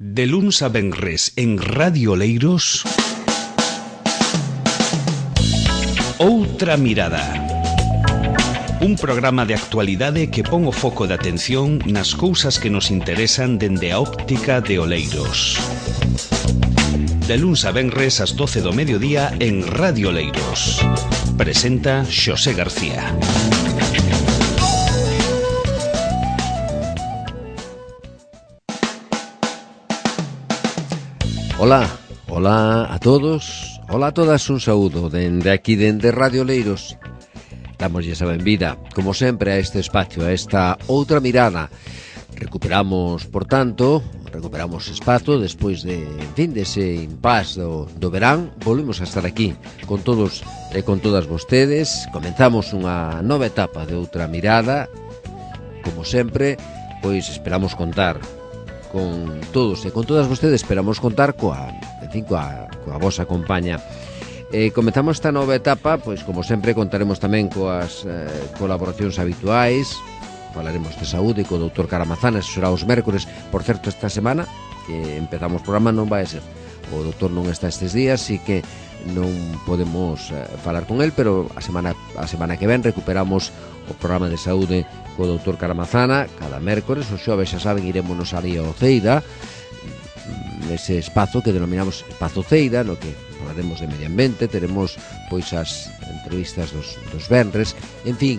De luns a venres en Radio Oleiros, Outra Mirada. Un programa de actualidade que pon o foco de atención nas cousas que nos interesan dende a óptica de Oleiros. De luns a venres ás 12 do mediodía en Radio Oleiros. Presenta Xosé García. Ola a todos, ola a todas, un saúdo dende aquí, dende Radio Oleiros. Damoslle a benvida, como sempre, a este espacio, a esta outra mirada. Recuperamos espazo despois de, dese impás do verán. Volvemos a estar aquí con todos e con todas vostedes. Comenzamos unha nova etapa de Outra Mirada. Como sempre, pois esperamos contar con todos e con todas vostedes, esperamos contar coa vosa compañía. Comezamos esta nova etapa, pois como sempre contaremos tamén coas colaboracións habituais. Falaremos de saúde co doutor Caramazana, eso será os mércores. Por certo, esta semana que empezamos o programa non vai a ser, o doutor non está estes días, así que non podemos falar con el, pero a semana que ven recuperamos o programa de saúde co doutor Caramazana cada mércores. O xoves, xa saben, irémonos ali ao Ceida, nese espazo que denominamos Espazo Ceida, no que falaremos de medio ambiente. Teremos pois as entrevistas dos venres. En fin,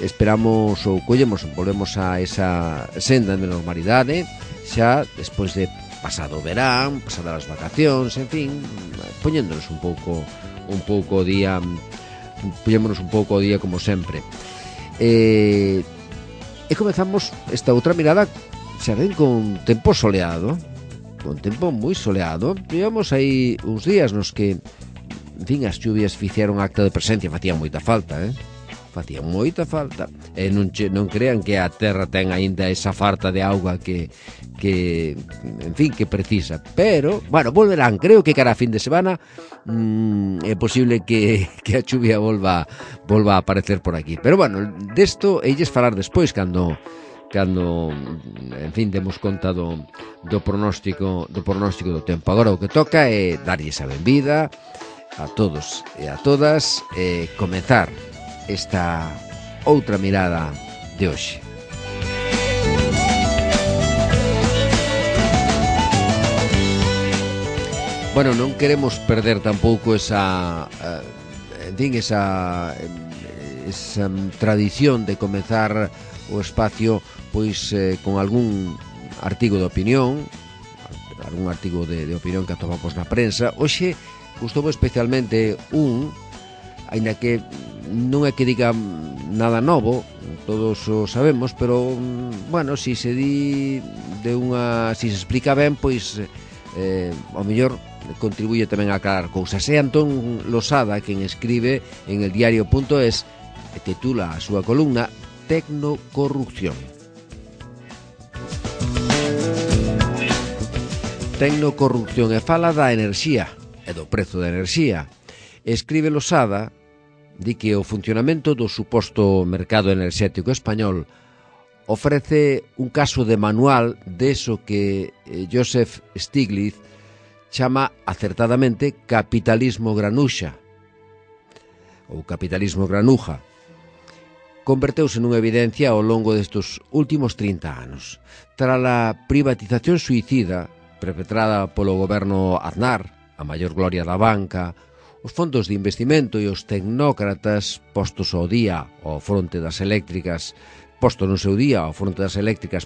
esperamos ou volvemos a esa senda de normalidade xa despois de pasado o verán, pasadas as vacacións, en fin, poñéndonos un pouco o día como sempre. E comezamos esta outra mirada, xa ven, con tempo soleado, con tempo moi soleado. Llevamos aí uns días nos que, en fin, as chuvias fixeron acta de presencia, facían moita falta, e non crean que a terra ten aínda esa falta de auga que en fin, que precisa. Pero, bueno, volverán, creo que cara a fin de semana é posible que a chuvia volva a aparecer por aquí. Pero bueno, desto elles falar despois cando en fin, demos conta do pronóstico do tempo. Agora o que toca é darlles a benvida a todos e a todas e comezar esta outra mirada de hoxe. Bueno, non queremos perder tampouco esa tradición de comezar o espacio pois con algún artigo de opinión, de opinión que atopamos na prensa. Hoxe gustoume especialmente aínda que non é que diga nada novo, todos o sabemos, pero bueno, si se explica ben, pois ao mellor contribuye tamén a aclarar cousas. É Antón Losada quen escribe en el diario.es e titula a súa columna Tecnocorrupción. Tecnocorrupción, e fala da enerxía e do prezo da enerxía. Escribe Losada, di que o funcionamento do suposto mercado enerxético español ofrece un caso de manual deso que Joseph Stiglitz chama acertadamente capitalismo granuxa ou capitalismo granuja. Converteuse nunha evidencia ao longo destes últimos 30 anos. Tras a privatización suicida perpetrada polo goberno Aznar, a maior gloria da banca, os fondos de investimento e os tecnócratas postos ao día ao fronte das eléctricas,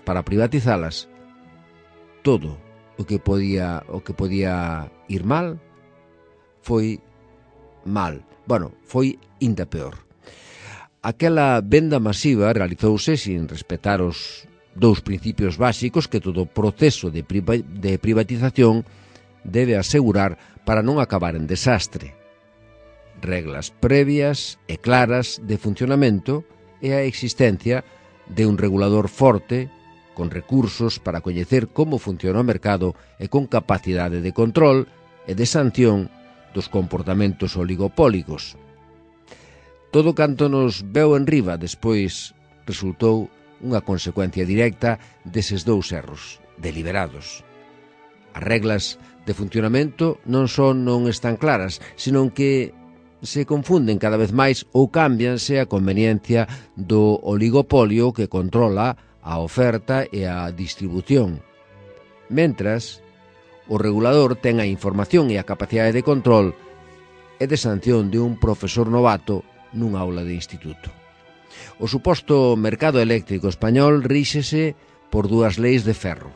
para privatizalas, todo o que podía ir mal foi mal. Bueno, foi inda peor. Aquela venda masiva realizouse sin respetar os dous principios básicos que todo proceso de privatización debe asegurar para non acabar en desastre: reglas previas e claras de funcionamento e a existencia de un regulador forte con recursos para coñecer como funciona o mercado e con capacidade de control e de sanción dos comportamentos oligopólicos. Todo canto nos veu en riba despois resultou unha consecuencia directa deses dous erros deliberados. As reglas de funcionamento non están claras, senón que se confunden cada vez máis ou cámbianse a conveniencia do oligopolio que controla a oferta e a distribución. Mentras, o regulador ten a información e a capacidade de control e de sanción de un profesor novato nun aula de instituto. O suposto mercado eléctrico español ríxese por dúas leis de ferro.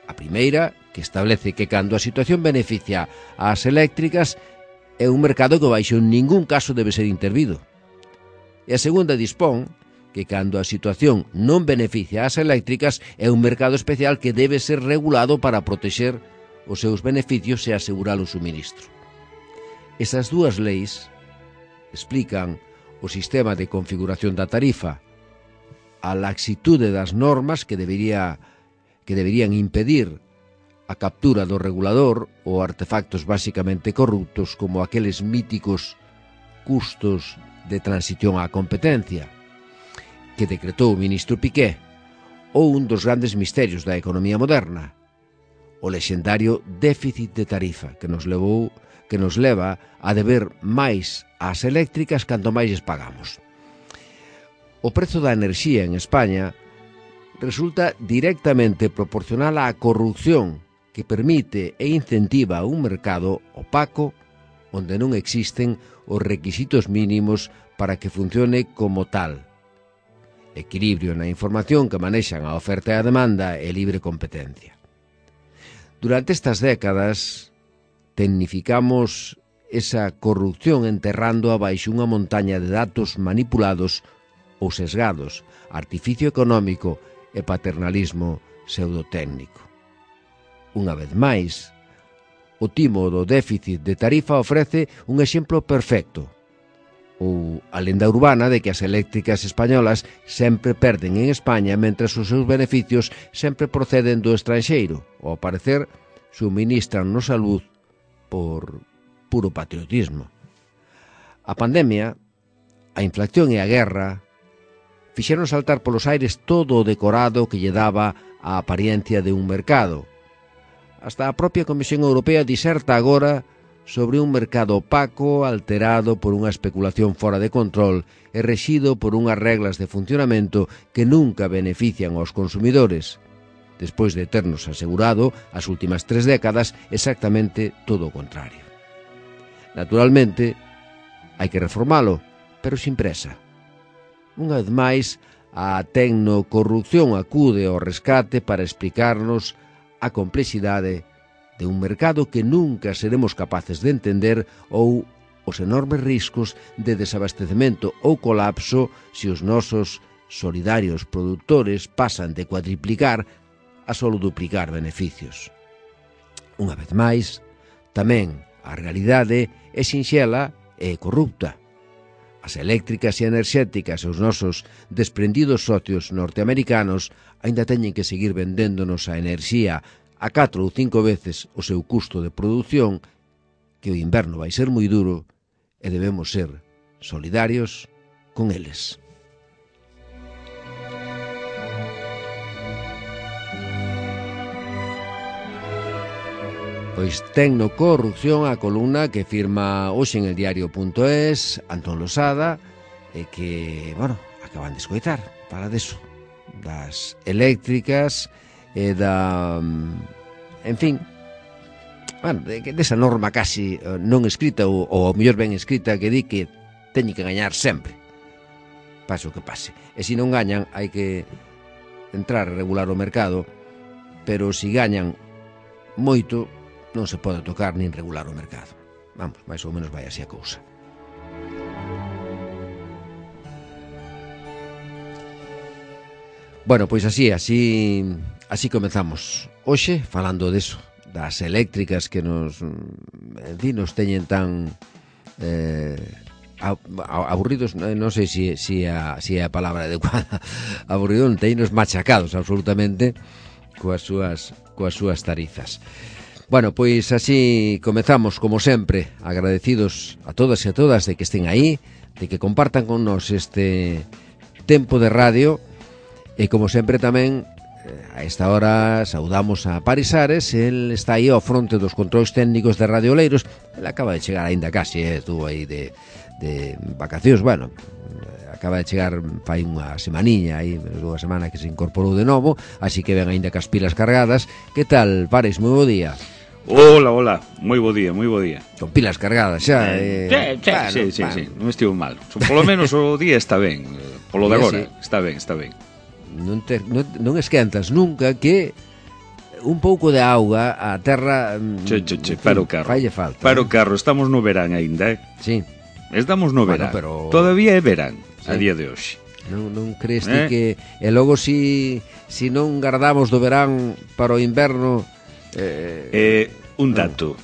A primeira, que establece que cando a situación beneficia ás eléctricas, é un mercado que baixo en ningún caso debe ser intervido. E a segunda dispón que cando a situación non beneficia ás eléctricas é un mercado especial que debe ser regulado para protexer os seus beneficios e asegurar o suministro. Esas dúas leis explican o sistema de configuración da tarifa, a laxitude das normas que deberían impedir a captura do regulador ou artefactos basicamente corruptos como aqueles míticos custos de transición á competencia que decretou o ministro Piqué, ou un dos grandes misterios da economía moderna, o lexendario déficit de tarifa que nos leva a deber máis ás eléctricas canto máis lles pagamos. O prezo da enerxía en España resulta directamente proporcional á corrupción que permite e incentiva un mercado opaco onde non existen os requisitos mínimos para que funcione como tal. Equilibrio na información que manexan a oferta e a demanda e libre competencia. Durante estas décadas, tecnificamos esa corrupción enterrando abaixo unha montaña de datos manipulados ou sesgados, artificio económico e paternalismo pseudotécnico. Unha vez máis, o timo do déficit de tarifa ofrece un exemplo perfecto, ou a lenda urbana de que as eléctricas españolas sempre perden en España mentres os seus beneficios sempre proceden do estranxeiro, ou, ao parecer, suministran nos salud por puro patriotismo. A pandemia, a inflación e a guerra fixeron saltar polos aires todo o decorado que lle daba a apariencia de un mercado. Hasta a propia Comisión Europea diserta agora sobre un mercado opaco alterado por unha especulación fora de control e rexido por unhas reglas de funcionamento que nunca benefician aos consumidores, despois de ternos asegurado as últimas 3 décadas exactamente todo o contrario. Naturalmente, hai que reformalo, pero sin presa. Unha vez máis, a tecnocorrupción acude ao rescate para explicarnos a complexidade de un mercado que nunca seremos capaces de entender ou os enormes riscos de desabastecemento ou colapso se os nosos solidarios produtores pasan de cuadriplicar a solo duplicar beneficios. Unha vez máis, tamén a realidade é sinxela e corrupta. As eléctricas e enerxéticas e os nosos desprendidos socios norteamericanos aínda teñen que seguir vendéndonos a enerxía a 4 ou 5 veces o seu custo de produción, que o inverno vai ser moi duro e debemos ser solidarios con eles. Pois Tecnocorrupción, a columna que firma hoxe en el diario.es Antón Losada e que, acaban de escoitar, para deso, das eléctricas e da, en fin, desa norma casi non escrita ou ao mellor ben escrita que di que teñen que gañar sempre, pase o que pase, e se non gañan hai que entrar a regular o mercado, pero se gañan moito non se pode tocar nin regular o mercado. Vamos, máis ou menos vai así a cousa. Bueno, pois así comezamos hoxe falando deso, das eléctricas que nos teñen tan aburridos, non sei se é a palabra adecuada, aburridos, teñenos machacados absolutamente coas súas tarifas. Bueno, pois así comezamos, como sempre, agradecidos a todas e a todas de que estén aí, de que compartan con nos este tempo de radio e, como sempre, tamén a esta hora saudamos a Paris Ares. El está aí ao fronte dos controis técnicos de Radio Oleiros. Ele acaba de chegar aínda casi, estuvo aí de vacacións, bueno, acaba de chegar fai unha semaniña aí, menos dunha semana que se incorporou de novo, así que ven aínda cas pilas cargadas. Que tal, Paris? Moi bo día. Hola, moi bo día. Con pilas cargadas xa. Sí, non estivo mal. Polo menos o día está ben. Polo de agora, está ben. Non esquentas nunca que un pouco de auga a terra para o carro. Falle falta. Para o carro, estamos no verán aínda, Sí. Estamos no verán. Pero... Todavía é verán, a día de hoxe. Non crees ti que e logo si non guardamos do verán para o inverno Un dato.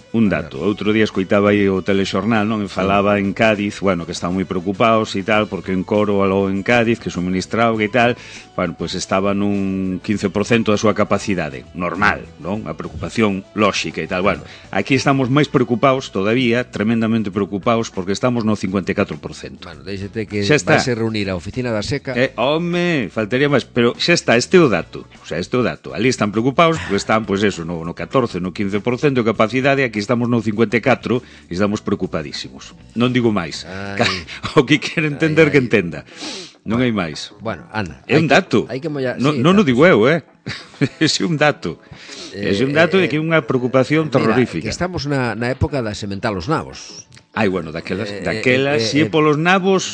Outro día escoitaba aí o telexornal, non? E falaba en Cádiz, bueno, que estaban moi preocupados e tal, porque en Coro aló en Cádiz, que suministra auga e tal, bueno, pues estaba nun 15% da súa capacidade, normal, non? A preocupación lóxica e tal. Bueno, aquí estamos máis preocupados todavía, tremendamente preocupados, porque estamos no 54%. Bueno, déxete que vai se reunir a oficina da Seca. Home, faltaría máis, pero xa está, este é o dato. O sea, este é o dato. Ali están preocupados porque están, pues eso, no 14, no 15% de capacidade, aquí estamos no 54 e estamos preocupadísimos. Non digo máis. O que quere entender que entenda. Non hai máis. Bueno, Ana, é un dato. Non o digo eu, Ese é un dato. Ese é un dato de que é unha preocupación terrorífica. Que estamos na época da sementar os nabos. Ai, bueno, daquelas si é polos nabos,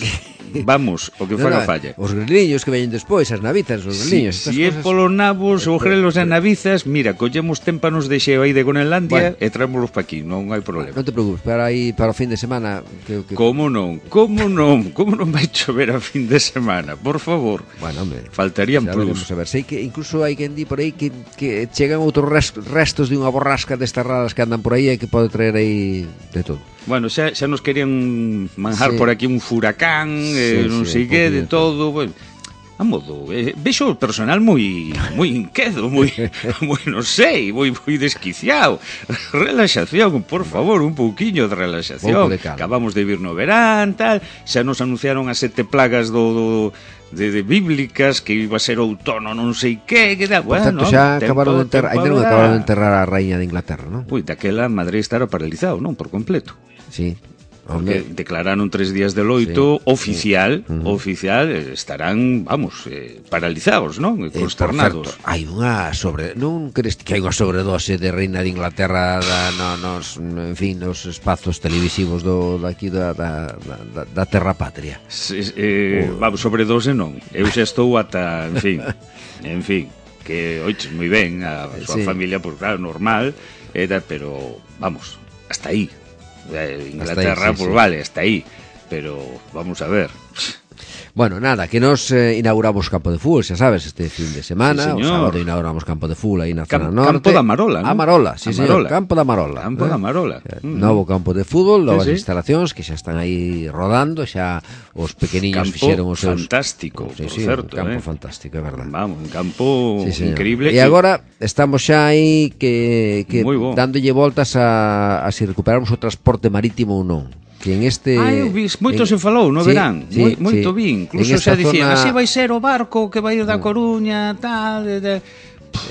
vamos, o que faga falla. Os greliños que veñen despois, as navitas, os greliños. Si é polos nabos, os grelos e navizas, mira, collemos témpanos de xeo aí de Groenlandia e traémolos pa aquí, non hai problema. Non te preocupes, para aí para o fin de semana Como non vai chover a fin de semana, por favor. Bueno, hombre, faltarían plus. A ver, sei que incluso hai quen di por aí que chegan outros restos de unha borrasca destas raras que andan por aí e que pode traer aí de todo. Bueno, xa nos querían manjar por aquí un furacán, non sei que, de todo, bueno, a modo, vexo o personal moi inquedo, moi non sei, moi desquiciado. Relaxación, por favor, un pouquiño de relaxación. Acabamos de vir no verán, tal, xa nos anunciaron as 7 plagas de bíblicas, que iba a ser outono non sei que tal. Por tanto, xa acabaron de enterrar a raíña de Inglaterra, non? Ui, daquela Madrid estará paralizado, non? Por completo. Sí. Porque declararon 3 días de loito oficial, estarán, vamos, paralizados, non? Consternados. Hai unha non crees que hai unha sobredose de reina de Inglaterra en fin, nos espazos televisivos daqui da terra patria? Vamos, sobredose non. Eu xa estou ata, en fin, que oiches moi ben a súa familia, pues claro, normal, pero vamos, hasta aí. Inglaterra, pues vale, hasta aí. Pero vamos a ver. Bueno, nada, que nos inauguramos campo de fútbol, xa sabes, este fin de semana. O sábado inauguramos campo de fútbol aí na zona norte. Campo da Marola, non? Marola, sí, señor, campo da Marola. Campo da Marola. Novo campo de fútbol, novas instalacións que xa están aí rodando, xa os pequeniños fixeron os seus... Fantástico, por certo. Campo fantástico, é verdad. Vamos, un campo increíble. E agora estamos xa aí que dándolle voltas a si recuperamos o transporte marítimo ou non. Que en este... moito se falou no verán, moito vi, incluso xa dicían, así vai ser o barco que vai ir da Coruña, tal,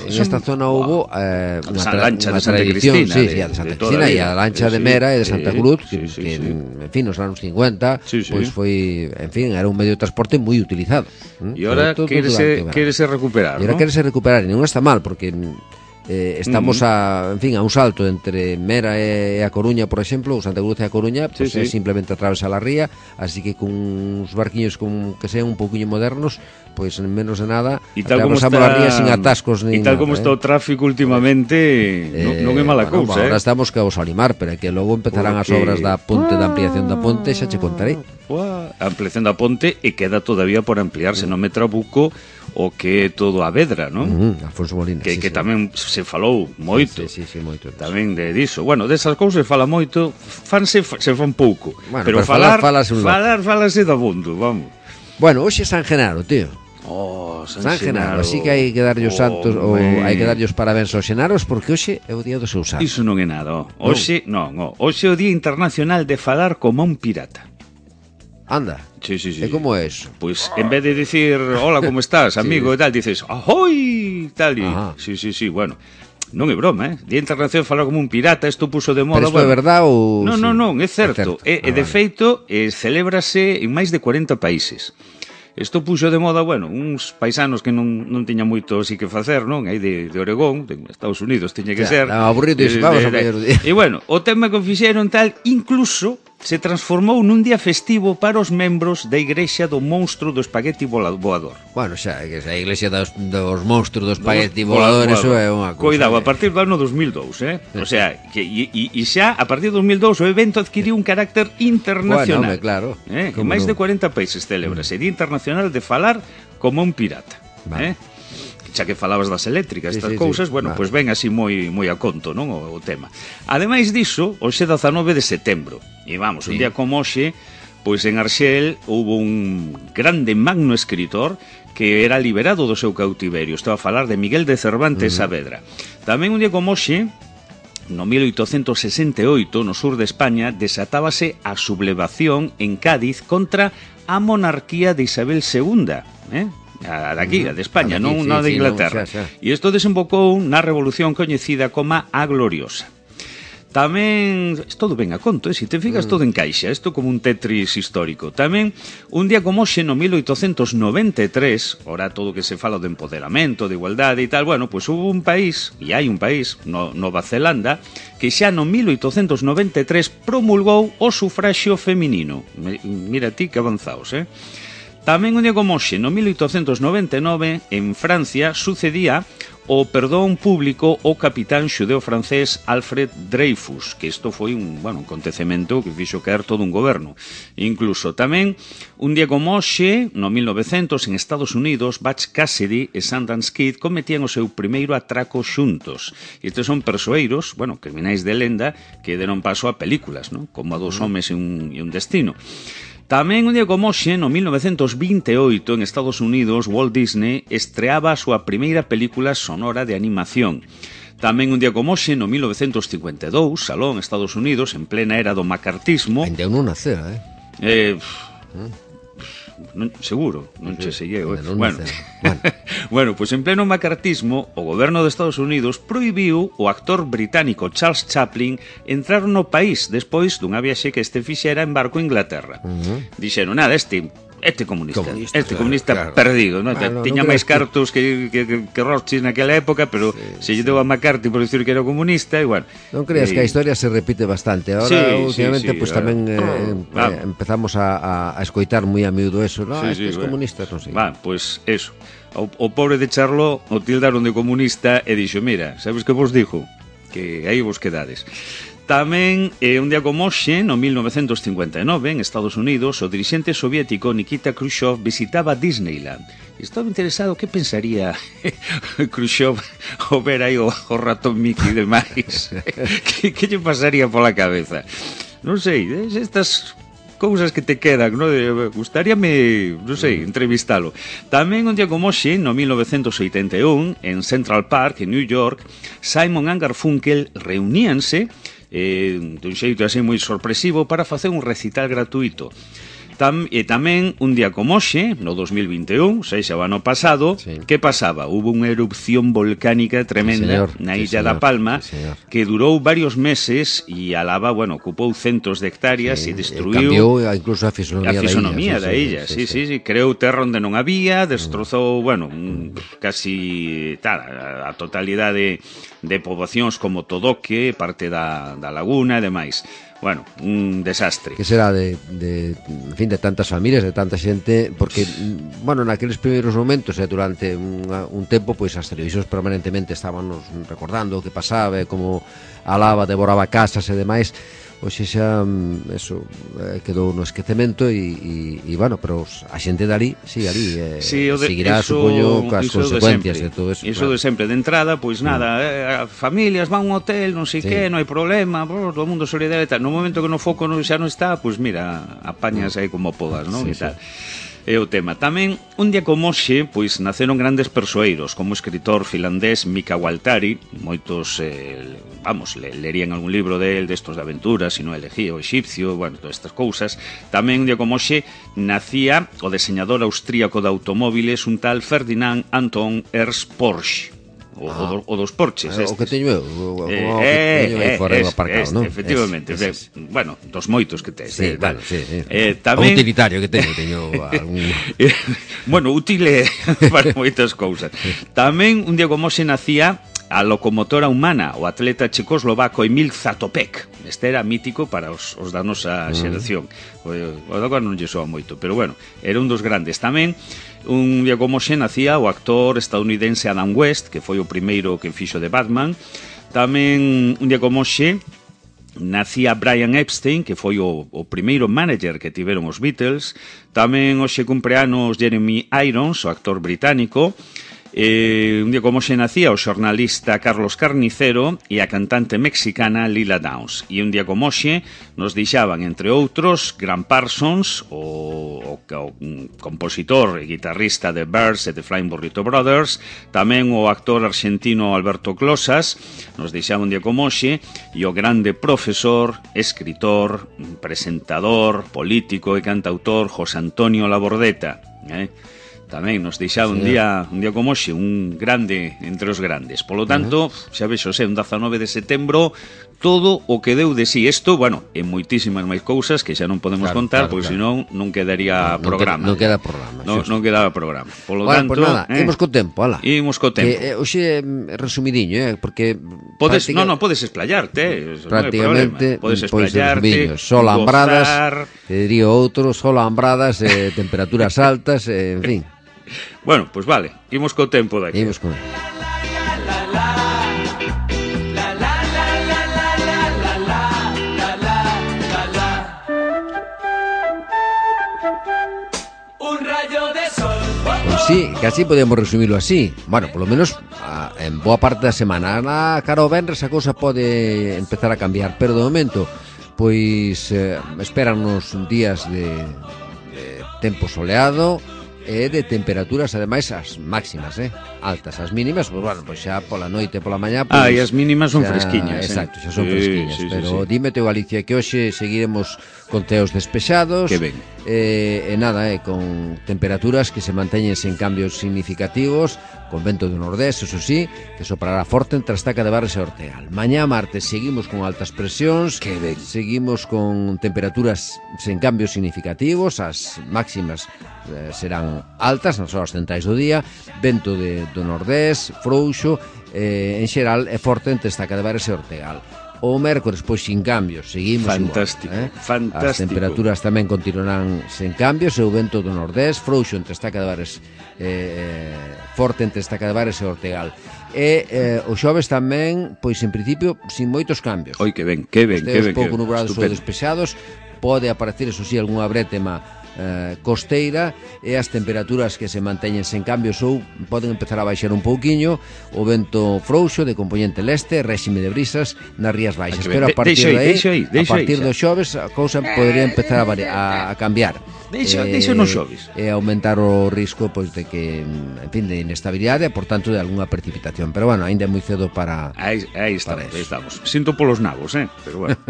En esta zona hubo unha lancha de Santa Cristina, de Santa Cristina, e a lancha de Mera e de Santa Cruz, que en fin, nos anos 50, pois foi, en fin, era un medio de transporte moi utilizado. E ahora quérese recuperar, non? E ahora quérese recuperar, e non está mal, porque... estamos a un salto entre Mera e a Coruña, por exemplo, o Santa Cruz e a Coruña, pues é simplemente atravesar a ría, así que con uns barquiños que sean un pouquiño modernos, pois en menos de nada atravesamos a ría sin atascos e tal como está o tráfico últimamente, non é mala cousa. Agora estamos que vos animar, pero que logo empezarán as obras da ponte, da ampliación da ponte, xa che contarei. A ampliación da ponte e queda todavía por ampliarse, non me trabuco o que é todo a Vedra, non? Alfonso Molina, que tamén se falou moito. Moito. Tamén de diso. Bueno, desas cousas fala moito, se fan pouco. Bueno, pero falase do mundo, vamos. Bueno, hoxe é San Genaro, tío. San Genaro, así que hai que darlle os santos ou hai que darlle os parabéns aos xenaros, porque hoxe é o día do seu santo. Iso non é nada, hoxe é o Día Internacional de falar como un pirata. Anda. Sí. E como é eso? Pois, en vez de dicir, hola, como estás, amigo, e tal, dices, ahoy, tal, e... Sí, bueno... Non é broma, Día Internacional de falar como un pirata, isto puso de moda... Pero isto é verdade ou... Non, é certo. E de feito, celébrase en máis de 40 países. Isto puxo de moda, uns paisanos que non tiñan moito así que facer, non? Aí de Oregón, de Estados Unidos, tiña que ser... Aburrido, vamos a poñer o día. E o tema que fixeron tal, incluso... se transformou nun día festivo para os membros da Igrexa do Monstro do Espagueti Voador. Bueno, xa, que a Iglesia dos monstros do Espagueti Voador, eso é unha cousa. Cuidado, a partir do ano 2002, O sea, e xa, a partir do 2002, o evento adquiriu un carácter internacional. Bueno, claro. En máis de 40 países celébrase Día Internacional de falar como un pirata. Vale. Xa que falabas das eléctricas, estas cousas, pois ven así moi a conto, non, o tema. Ademais diso, hoxe 19 de setembro, e vamos, un día como hoxe, pois en Arxel houve un grande magno escritor que era liberado do seu cautiverio. Estaba a falar de Miguel de Cervantes Saavedra. Tamén un día como hoxe, no 1868, no sur de España, desatábase a sublevación en Cádiz contra a monarquía de Isabel II, a daqui, a de España, non a de Inglaterra. E isto desembocou na revolución coñecida como a Gloriosa. Tamén, todo ben a conto, se te fijas todo encaixa, isto como un Tetris histórico. Tamén, un día como hoxe, no 1893, ora todo que se fala do empoderamento, de igualdade e tal, pois hubo un país, e hai un país, Nova Zelanda, que xa no 1893 promulgou o sufraxio feminino. Mira ti que avanzaos, Tamén un día como hoxe, no 1899, en Francia, sucedía o perdón público ao capitán xudeo-francés Alfred Dreyfus, que isto foi un acontecemento que fixo caer todo un goberno. Incluso tamén, un día como hoxe, no 1900, en Estados Unidos, Butch Cassidy e Sundance Kid cometían o seu primeiro atraco xuntos. Estes son persoeiros, criminais de lenda, que deron paso a películas, non? Como a Dos homes e un destino. Tamén un día como hoxe, no 1928, en Estados Unidos, Walt Disney estreaba a súa primeira película sonora de animación. Tamén un día como hoxe, no 1952, Salón, Estados Unidos, en plena era do macartismo... Ainda non nacera, seguro, non che seguei. Pois en pleno macartismo, o goberno de Estados Unidos prohibiu o actor británico Charles Chaplin entrar no país despois dunha viaxe que este fixera en barco a Inglaterra. Dixeron, nada, este comunista perdido, non? Tiña máis cartos que Rothschild naquela época, pero se lle deu a McCarthy por dicir que era comunista, igual. Non creas que a historia se repite bastante. Ahora, últimamente, pois tamén empezamos a escoitar moi a miúdo eso, non? Estes comunistas, non sei. Pois eso. O pobre de Charlot o tildaron de comunista e dixo, mira, sabes que vos dixo? Que aí vos quedades. Tamén, un día como hoxe, no 1959, en Estados Unidos, o dirixente soviético Nikita Khrushchev visitaba Disneyland. Estaba interesado que pensaría Khrushchev ao ver aí o ratón Mickey e demais. Que lle pasaría pola cabeza? Non sei, estas cousas que te quedan, non? Gustaríame, non sei, entrevistalo. Tamén un día como hoxe, no 1981, en Central Park, en New York, Simon and Garfunkel reuníanse dun xeito así moi sorpresivo para facer un recital gratuito. E tamén, un día como hoxe, no 2021, xa o ano pasado, que pasaba? Hubo unha erupción volcánica tremenda na illa da Palma, que durou varios meses e a lava, ocupou centos de hectáreas e destruiu... Cambiou incluso a fisonomía da illa. Sí, creou terra onde non había, destrozou, casi a totalidade de poboacións como Todoque, parte da laguna e demais. Un desastre. Que será de tantas familias, de tanta xente, porque, naqueles primeiros momentos, durante un tempo, pois as televisións permanentemente estaban recordando o que pasaba, como a lava devoraba casas e demais. Hoxe xa eso quedou no esquecemento e pero a xente dali seguirá, supoño, coas consecuencias de todo eso. Iso de sempre, de entrada, pois nada, familias van a un hotel, non sei que, non hai problema, todo o mundo solidario e tal. No momento que no foco xa non está, pois mira, apañas aí como podas, non? E tal. é o tema. Tamén, un día como hoxe, pois naceron grandes persoeiros, como o escritor finlandés Mika Waltari, moitos, lerían algún libro del, destos de aventuras, sino Elegía o Exipcio, bueno, todas estas cousas. Tamén, un día como hoxe, nacía o deseñador austríaco de automóviles, un tal Ferdinand Anton Ernst Porsche. O dos Porches o que teño eu aí fora aparcado, non? Efectivamente, bueno, dos moitos que tes. Sí, claro, sí. Tamén... O utilitario que teño algún... Bueno, útil para moitas cousas. Tamén, un día como se nacía a locomotora humana, o atleta checoslovaco Emil Zatopek. Este era mítico para os da nosa xeración. O agora non lle soa moito, pero bueno, era un dos grandes. Tamén, un día como xe nacía o actor estadounidense Adam West, que foi o primeiro que fixo de Batman. Tamén, un día como xe, nacía Brian Epstein, que foi o primeiro manager que tiveron os Beatles. Tamén hoxe cumpleanos Jeremy Irons, o actor británico. Un día como xe nacía o xornalista Carlos Carnicero e a cantante mexicana Lila Downs. E un día como xe nos deixaban, entre outros, Graham Parsons, o compositor e guitarrista de Birds e de Flying Burrito Brothers, tamén o actor argentino Alberto Closas, nos deixaba un día como xe, e o grande profesor, escritor, presentador, político e cantautor José Antonio Labordeta, tamén nos deixaba un día como hoxe, un grande entre os grandes. Polo tanto, xa vexo, un 19 de setembro, todo o que deu de sí. Isto, bueno, en moitísimas máis cousas que xa non podemos contar, porque senón non quedaría programa. Non queda programa. Non quedaba programa. Polo tanto, pues nada, imos co tempo, ala. Imos co tempo. Hoxe resumidiño, porque podes explayarte, prácticamente, podes explayarte, sol ambradas, que diría outro, sol ambradas, temperaturas altas, en fin. Bueno, pues vale, imos co tempo daqui. Imos con... Sí, casi podemos resumirlo así. Bueno, por lo menos en boa parte da semana. Cara ao venres a cousa pode empezar a cambiar, pero de momento pois espérannos días de tempo soleado e de temperaturas, ademais, as máximas, altas. As mínimas, pois bueno, pois xa pola noite, pola mañá, pois, e as mínimas son fresquiñas. Exacto, xa son fresquiñas, pero dime teo, Galicia, que hoxe seguiremos con teos despexados. Que ben. Nada, con temperaturas que se manteñen sen cambios significativos, con vento do nordés, eso sí, que soprará forte entre Estaca de Barres e Ortegal. Mañá martes seguimos con altas presións, seguimos con temperaturas sen cambios significativos, as máximas serán altas nas horas centrais do día, vento do nordés, frouxo, en xeral é forte entre Estaca de Barres e Ortegal. O mércores, pois, sin cambios, seguimos fantástico, igual, fantástico. As temperaturas tamén continuarán sen cambios, e o vento do nordés, frouxo entre Estaca de Bares, forte entre Estaca de Bares e Ortegal. E o xoves tamén, pois, en principio, sin moitos cambios. Oi, que ben, que ben. Os pouco nubrados ou despexados, pode aparecer, eso sí, algunha brétema costeira, e as temperaturas que se manteñen sen cambios ou poden empezar a baixar un pouquiño. O vento frouxo de componente leste, réxime de brisas nas Rías Baixas, pero a partir a partir do xoves a cousa podería empezar a cambiar. Deixa nos xoves e aumentar o risco, pois, de que, en fin, de inestabilidade e por tanto de algunha precipitación, pero bueno, ainda é moi cedo para aí estamos. Sinto polos nabos, pero bueno.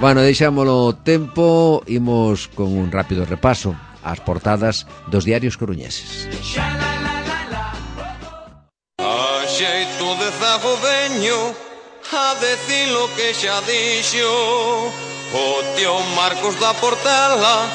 Bueno, deixámolo tempo, imos con un rápido repaso ás portadas dos diarios coruñeses. A xeito de zago veño a decir lo que xa dixo o tío Marcos da Portela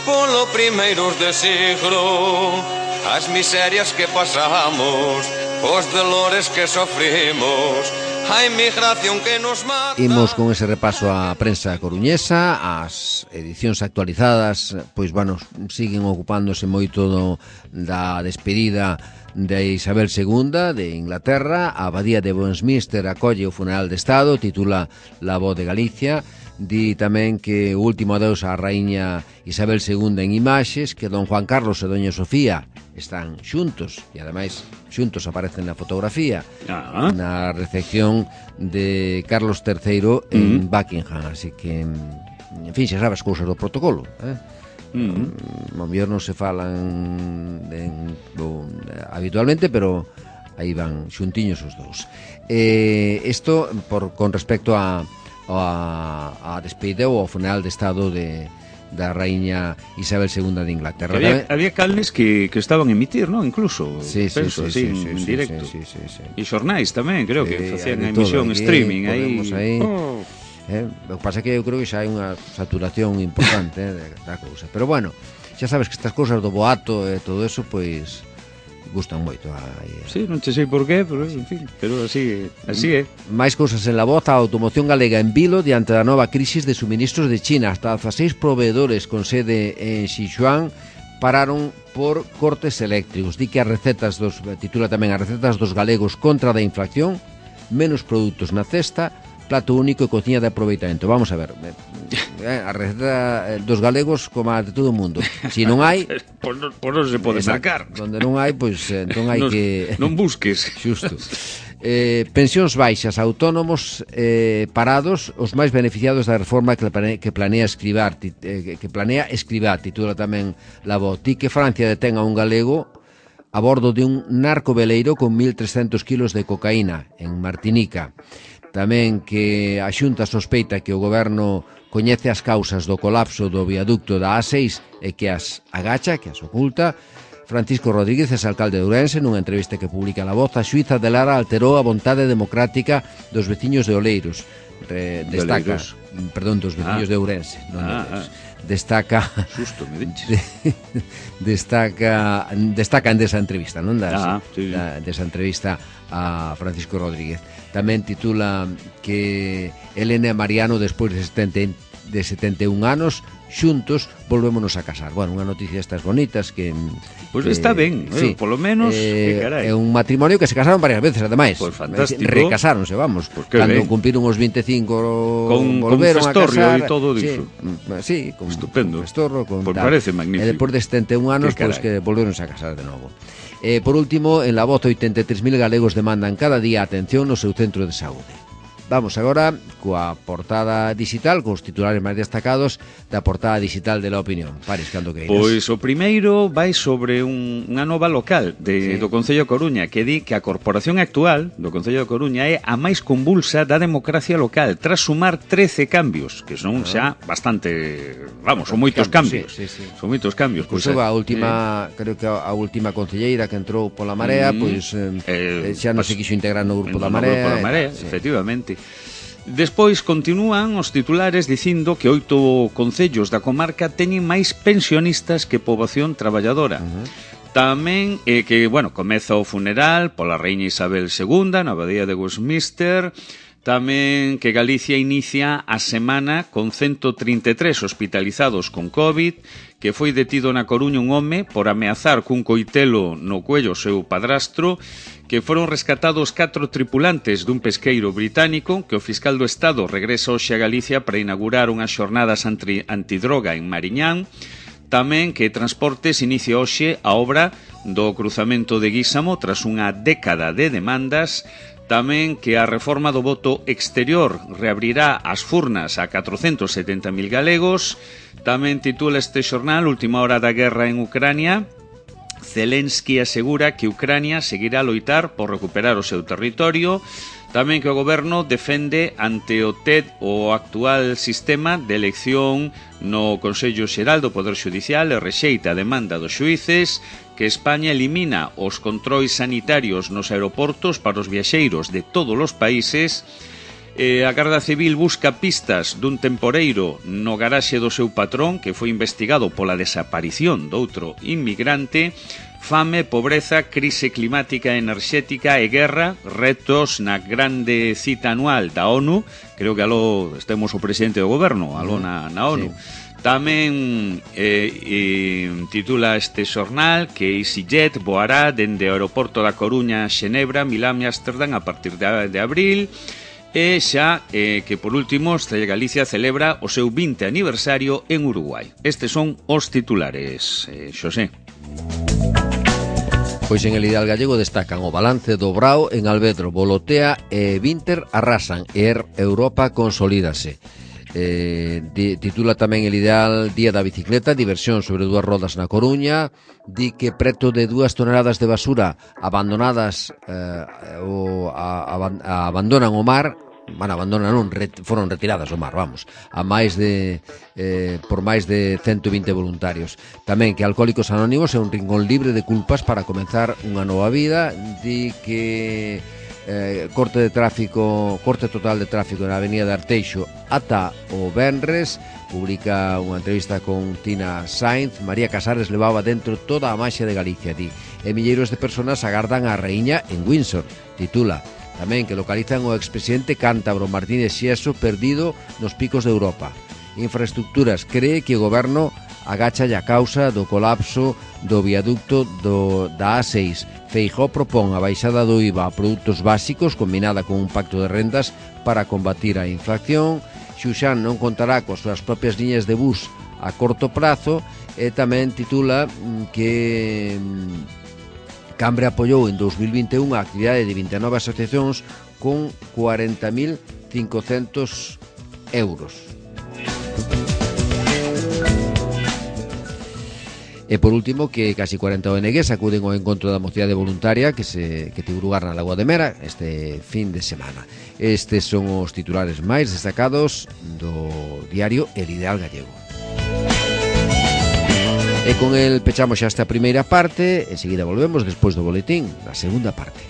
polo primeiros de siglo, as miserias que pasamos, os dolores que sofrimos, a inmigración que nos mata. Imos con ese repaso á prensa coruñesa. As edicións actualizadas, pois, bueno, siguen ocupándose moito da despedida de Isabel II de Inglaterra. A abadía de Westminster acolle o funeral de Estado, titula La Voz de Galicia. Di tamén que o último adeus á raíña Isabel II en imaxes, que don Juan Carlos e doña Sofía están xuntos, e ademais xuntos aparecen na fotografía na recepción de Carlos III en Buckingham, así que en fin, xa sabes, cousas do protocolo, ao mellor non se falan habitualmente, pero aí van xuntiños os dous. Isto con respecto a despedida ou ao funeral de estado da raíña Isabel II de Inglaterra. Había canles que estaban a emitir, non? Incluso, penso, así, en directo. E xornais tamén, creo que facían a emisión streaming aí. O que pasa é que eu creo que xa hai unha saturación importante da cousa. Pero bueno, xa sabes que estas cousas do boato e todo eso, pois gustan moito. Sí, non che sei por qué, pero en fin, pero así é. Máis cousas en la voz. A automoción galega en vilo diante da nova crisis de suministros de China. Hasta 16 proveedores con sede en Sichuan pararon por cortes eléctricos. Di que titula tamén as recetas dos galegos contra da inflación, menos produtos na cesta, plato único e cociña de aproveitamento. Vamos a ver, a receta dos galegos como a de todo o mundo. Si non hai, por non se pode sacar. Donde non hai, pois entón hai que non busques. Xusto. Pensións baixas, autónomos parados, os máis beneficiados da reforma que planea Escrivá, titula tamén La Voz. Di que Francia detén a un galego a bordo de un narcoveleiro con 1.300 kilos de cocaína en Martinica. Tamén que a Xunta sospeita que o goberno coñece as causas do colapso do viaducto da A6 e que as agacha, que as oculta. Francisco Rodríguez, alcalde de Ourense, nunha entrevista que publica La Voz, a xuíza de Lara alterou a vontade democrática dos veciños de Oleiros. Destaca, dos veciños de Ourense, non de Oleiros. Destaca Susto, me diches. Destaca en desa entrevista, non? Desa entrevista a Francisco Rodríguez. Tamén titula que Elena e Mariano, despois de 71 anos, xuntos volvémonos a casar. Bueno, unha noticia estas bonitas que... Pois está ben, sí, polo menos, é un matrimonio que se casaron varias veces, ademais. Pois fantástico. Recasáronse, vamos. Cando cumpriron os 25 volveron a casar. Con festorro e todo diso. Sí, con estupendo. Festorro, con tal. Parece magnífico. E depois de 71 anos, pois que volveronse a casar de novo. Por último, en La Voz, 83.000 galegos demandan cada día atención no seu centro de saúde. Vamos agora coa portada digital, cos titulares máis destacados da portada digital de La Opinión. Pares, cando queiras. Pois o primeiro vai sobre unha nova local do Concello de Coruña, que di que a corporación actual do Concello de Coruña é a máis convulsa da democracia local, tras sumar 13 cambios, que son xa bastante, son moitos cambios. Son moitos cambios. Incluso a última, creo que a última concelleira que entrou pola Marea, pois xa non se quixo integrar no grupo da Marea. Efectivamente. Despois continúan os titulares dicindo que 8 concellos da comarca teñen máis pensionistas que poboación traballadora. Tamén que, comeza o funeral pola Reina Isabel II na abadía de Westminster. Tamén que Galicia inicia a semana con 133 hospitalizados con COVID, que foi detido na Coruña un home por ameazar cun coitelo no cuello seu padrastro, que foron rescatados 4 tripulantes dun pesqueiro británico, que o fiscal do Estado regresa hoxe a Galicia para inaugurar unhas xornadas antidroga en Mariñán. Tamén que Transportes inicia hoxe a obra do cruzamento de Guísamo tras unha década de demandas. Tamén que a reforma do voto exterior reabrirá as furnas a 470.000 galegos. Tamén titula este xornal Última hora da guerra en Ucrania. Zelensky asegura que Ucrania seguirá a loitar por recuperar o seu territorio. Tamén que o goberno defende ante o TED o actual sistema de elección no Consello Xeral do Poder Xudicial e rexeita a demanda dos xuíces, que España elimina os controis sanitarios nos aeroportos para os viaxeiros de todos os países. A Garda Civil busca pistas dun temporeiro no garaxe do seu patrón, que foi investigado pola desaparición doutro inmigrante. Fame, pobreza, crise climática, enerxética e guerra, retos na grande cita anual da ONU. Creo que aló estemos o presidente do goberno, aló na ONU. Sí. Tamén titula este xornal que EasyJet voará dende o aeroporto da Coruña, Xenebra, Milán e Ámsterdam a partir de abril. E xa que por último Galicia celebra o seu 20 aniversario en Uruguai. Estes son os titulares, Xosé. Pois en El Ideal Gallego destacan o balance do Brao en Alvedro, Volotea e Vinter arrasan e Europa consolídase. Titula tamén El ideal día da bicicleta, diversión sobre 2 rodas na Coruña. Di que preto de 2 toneladas de basura abandonadas abandonan o mar. Bueno, foron retiradas ao mar, vamos, por máis de 120 voluntarios. Tamén que Alcohólicos Anónimos é un rincón libre de culpas para comenzar unha nova vida. Di que corte total de tráfico na avenida de Arteixo ata o venres. Publica unha entrevista con Tina Sainz. María Casares levaba dentro toda a maxia de Galicia, di, e milleiros de persoas agardan a raíña en Windsor. Titula tamén que localizan o expresidente cántabro Martínez Xieso perdido nos picos de Europa. Infraestructuras, cree que o goberno agacha a causa do colapso do viaducto da A6. Feijóo propón a baixada do IVA a produtos básicos combinada con un pacto de rendas para combatir a inflación. Xuxán non contará coas súas propias liñas de bus a corto prazo. E tamén titula que Cambre apoiou en 2021 a actividade de 29 asociacións con 40.500 euros. E por último, que casi 40 ONGs acuden ao encontro da mocidade voluntaria que tivo lugar na Lagoa de Mera este fin de semana. Estes son os titulares máis destacados do diario El Ideal Gallego. E con el pechamos xa esta primeira parte, enseguida volvemos despois do boletín na segunda parte.